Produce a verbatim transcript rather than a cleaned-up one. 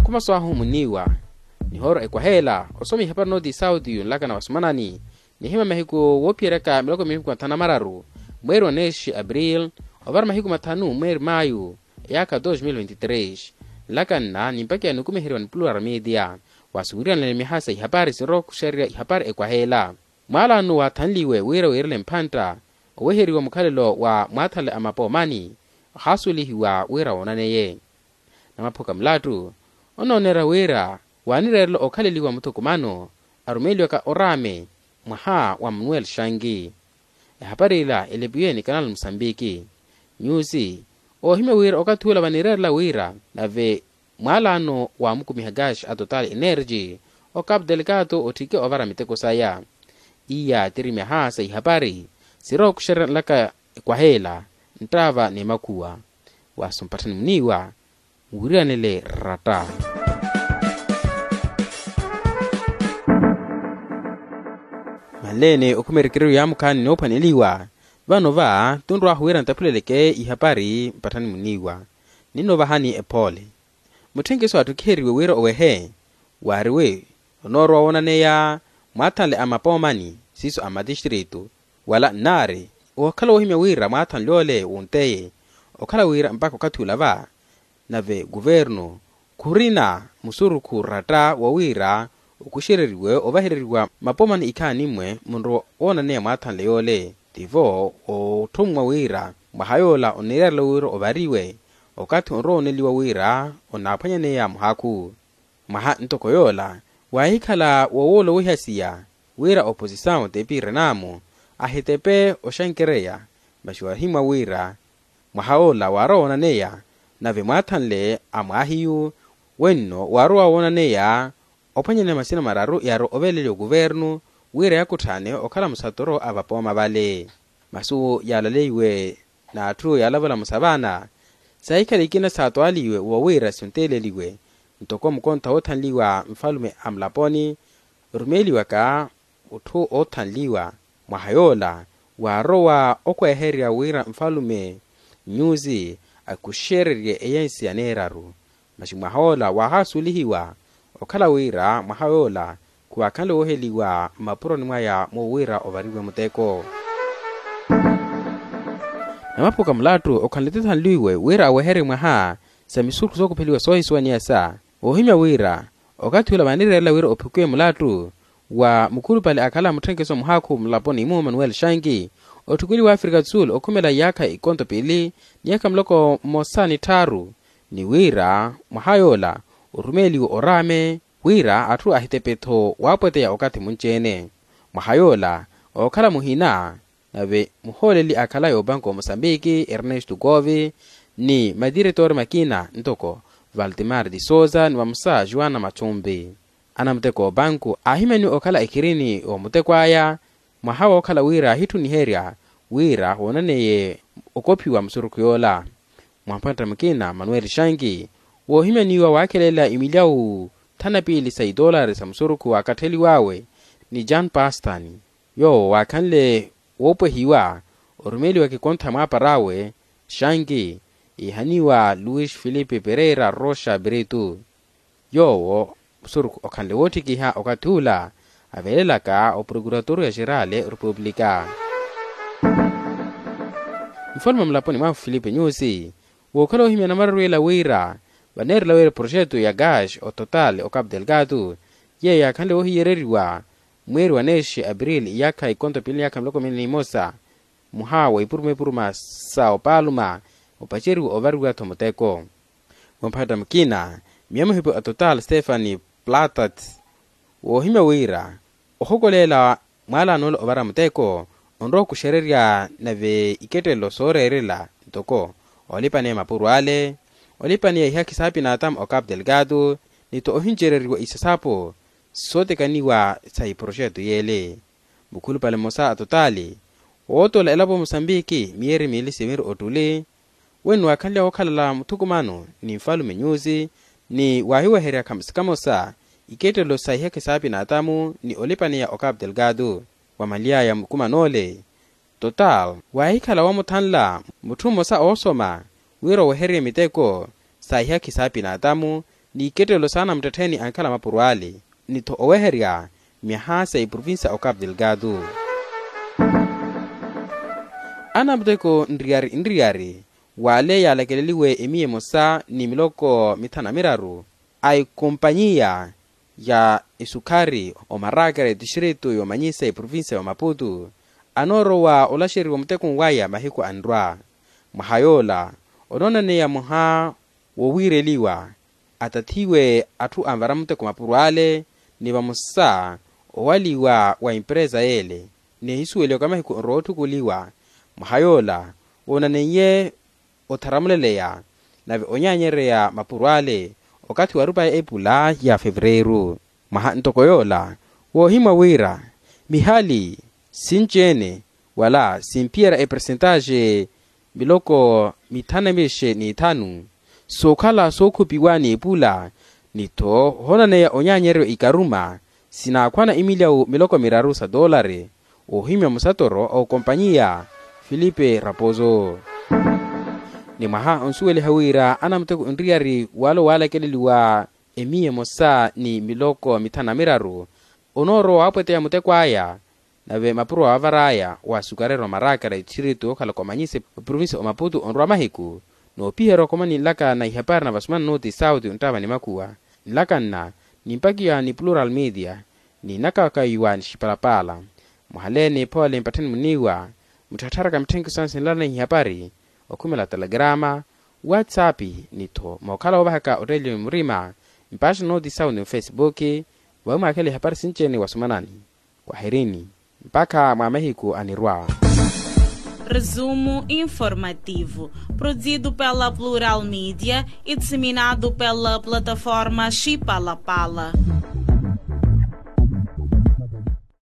Pamaso ahu muniiwa nihooro ekwaheela osoma ihapari nooti sauti yunlakana wasumanani nihima mahiku woophiyeryaka miloko mihiku mathanu na mararu mweeri wa neexi april ovara mahiku mathanu mweeri mayu eyaakha dos mil vinti tres. Nlakanna nimpakiya nukumiheriwa ni plural media wasuwiriyanlene miha sa ihapari sinrowa okuxererya ihapari ekwaheela. Mwaalano waathanliwe wira wiirele mphantta oweheriwa mukhalelo wa mwaathanle a mapoomani ohaasuwelihiwa wira woonaneye. Namaphuka mulattu onoonerya wira waanireerela okhaleliwa muthukumano arumeeliwaka oraame mwaha wa manuel shangi. Ehapari ila elepiwe ni kanal musambiki nyusi oohimya wira okathi ula vanireerela wira nave mwaalaano waamukumiha gash a total energy o capu delgado otthike ovara miteko saya. Iya tiri myaha sa ihapari sirowa okuxererya nlaka ekwaheela nttaava ni makhuwa. Waasumpatthani muniiwa nwiriyanele ratta. Manleene okhumerekereru yaamukhaani noophwaneliwa vano va tunrwaahu wira ntaphuleleke ihapari mpatthani muniiwa. Ninno vahani ephoole mutthenkiso atthukiheriwe wira owehe waariwe onoorowa woonaneya mwaathanle a mapoomani siiso a matistritu wala nnaari ookhala woohimya wira mwaathanle ole wunteye okhala wira mpakha okathi ula va nave kuvernu khurina musurukhu ratta wa wira okuxereriwe ovahereriwa mapoomani ikhaani mmwe munrowa woonaneya mwaathanle yoole tivo ootthumwa wira mwaha yoola onireerela wira ovariwe okathi onrowa oneliwa wira onaaphwanyaneya muhakhu. Mwaha ntoko yoola waahikhala wowoola owiha siya wira oposisawu tepi renaamu ahitepe oxankereya masi waahimwa wira mwaha ola waarowa woonaneya nave mwaathanle a mwaahiyu wenno waarowa woonaneya ophwanyaneya masina mararu yaarowa oveleliwa kuvernu wira yakutthaane okhala musatoro a vapooma vale. Masu yaalaleiwe n'atthu yaalavula musavana saahikhala ikina saatwaaliwe wa wira sinteeleliwe ntoko mukontha woothanliwa nfalume a mulaponi orumeeliwaka otthu oothanliwa mwaha yoola waarowa okwehererya wira nfalume nyusi akuxererye eyensi yaneeraru. Masi mwaha ola waahaasuwelihiwa okhala wira mwaha yoola khuwaakhanle wooheliwa mmapuroni mwaya mwo wira ovariwe muteko. Namaphuka mulattu okhanle tithanliwe wira aweherye mwaha sa misurukhu sookupheliwa soohisuwaniya sa woohimya wira okathi ula vaanireerela wira ophukiwe mulattu wa mukhulupale akhala mutthenkeso muhaakhu mulaponi mu manuel shangi otthukeliwa afrika do sul okhumela iyaakha ikonto pili ni iyaakha muloko mmosa ni tthaaru ni wira mwaha yoola orumeeliwe oraame wira atthu ahitepe-tho waapweteya okathi munci-ene. Mwaha yoola ookhala muhina nave muhooleli akhalaye opanku wa mosambiki ernesto govi ni matiretori makina ntoko valtimar de sousa ni vamosa joana machumbi. Anamuteko opanku aahimyaniwe okhala ekhirini omuteko aya mwaha wookhala wira aahitthuniherya wira woonaneye okophiwa musurukhu yoola. Mwamphantta mukina manuel shangi woohimyaniwa waakhelela imilyawu thanu na piili sa itolari sa musurukhu waakattheliw'awe ni jan pastan yoowo waakhanle woopwehiwa orumeeliwaka ikontha mwaapar'awe shangi iihaniwa luis filipe pereira roxa brito. Yoowo musurukhu okhanle wootthikiha okathi ula aveelelaka oprokuratoria xerale orepublika. Mufalume mulaponi mwahu filipe nyusi wookhala ohimya namararu ela wira vaneerela wira proxeto ya gash ototal ocapu delgado yeeyo yaakhanle woohiyereriwa mweeri wa neexi april iyaakha ikonto pili ni iyaakha miloko mili ni imosa muha wa ipuruma ipuruma sa opaluma opaceriwa ovariwa-tho muteko. Mwamphatta mukina miya muhipi a total stefani platat woohimya wira ohokoleela mwaalano ole ovara muteko onrowa okuxererya nave ikettelelo sooreerela ntoko olipaneya mapuro ale olipaneya ihakhi saapinatamu ocapu delgado ni-tho ohincereriwa isasapo sootekaniwa sa iproxeto yeele. Mukhulupale mmosa a totaali wootoola elapo mosambiki miyeeri miili siviri ottuli wenno waakhanlya wookhalala muthukumano ni nfalume nyusi ni waahiweherya khamosa khamosa ikettelelo sa ihekhe saapinatamu ni olipaneya ocapu delgado. Wamanly'aya mukuman'ole total waahikhala woomuthanla mutthu mmosa oosoma wira owehererye miteko sa ihekhe saapinatamu n'ikettelelo s'anamuttettheeni ankhala mapuro ale, ni-tho oweherya myaha sa eprovincia o capu delgado. Anamuteko nriyari nriyari w'ale yaalakeleliwe emiya emosa ni miloko mithanu na miraru a ekompanyiya ya esukhari omarakera etixiritu yoomanyisa eprovincia ya omaputu anoorowa olaxeriwa mutekuni waya mahiku anrwa. Mwaha yoola onoonaneya mwaha wowiireliwa atathiwe atthu anvara muteko mapuro ale, ni vamosa owaliwa wa emperesa y'ele, n'ehisuweliwaka mahiku onrowa otthukuliwa. Mwaha yoola woonaneiye otharamuleleya nave onyaanyereya mapuro ale okathi wa rupa ya epula ya fevereiru. Mwaha ntoko yoola woohimwa wira mihali sinci-ene wala simphiyerya epersentaxe miloko mithanu na mixe n'ithanu sookhala sookhupiwa n'epula, ni-tho ohoonaneya onyaanyeryo ikaruma sinaakhwana emilyawu miloko miraru sa toolari. Oohimya musatoro a okompanyiya filipe raposo. Ni mwaha onsuweliha wira anamuteko nriyari wala owaalakeleliwa emiya emosa ni miloko mithanu na miraru onoorowa waapweteya muteko aya, nave mapuro waavar'aya wa sukarero marakara etixiritu okhala komanyise oprovincia omaputu onrwa mahiku. Noopiherya okomani nlaka na ihapari na vasumana noti sauti onttava ni makuwa nlaka nna nimpakiwa ni plural media ni nakakaiwa ni xipalapala. Mwahaleeni phoole mpattheni muniiwa mutthattharaka mitthenkiso ansinlana ihapari okhumela telegrama, whatsapp, ni-tho mookhala woovahaka otteeliwe murima mpaxi noti sauti mufesibuki vawi mwaakhela ihapari sinci-ene wasumanani. Kwaherini mpakha mwa mahiku anirwa. Resumo informativo, produzido pela plural media e disseminado pela plataforma xipalapala.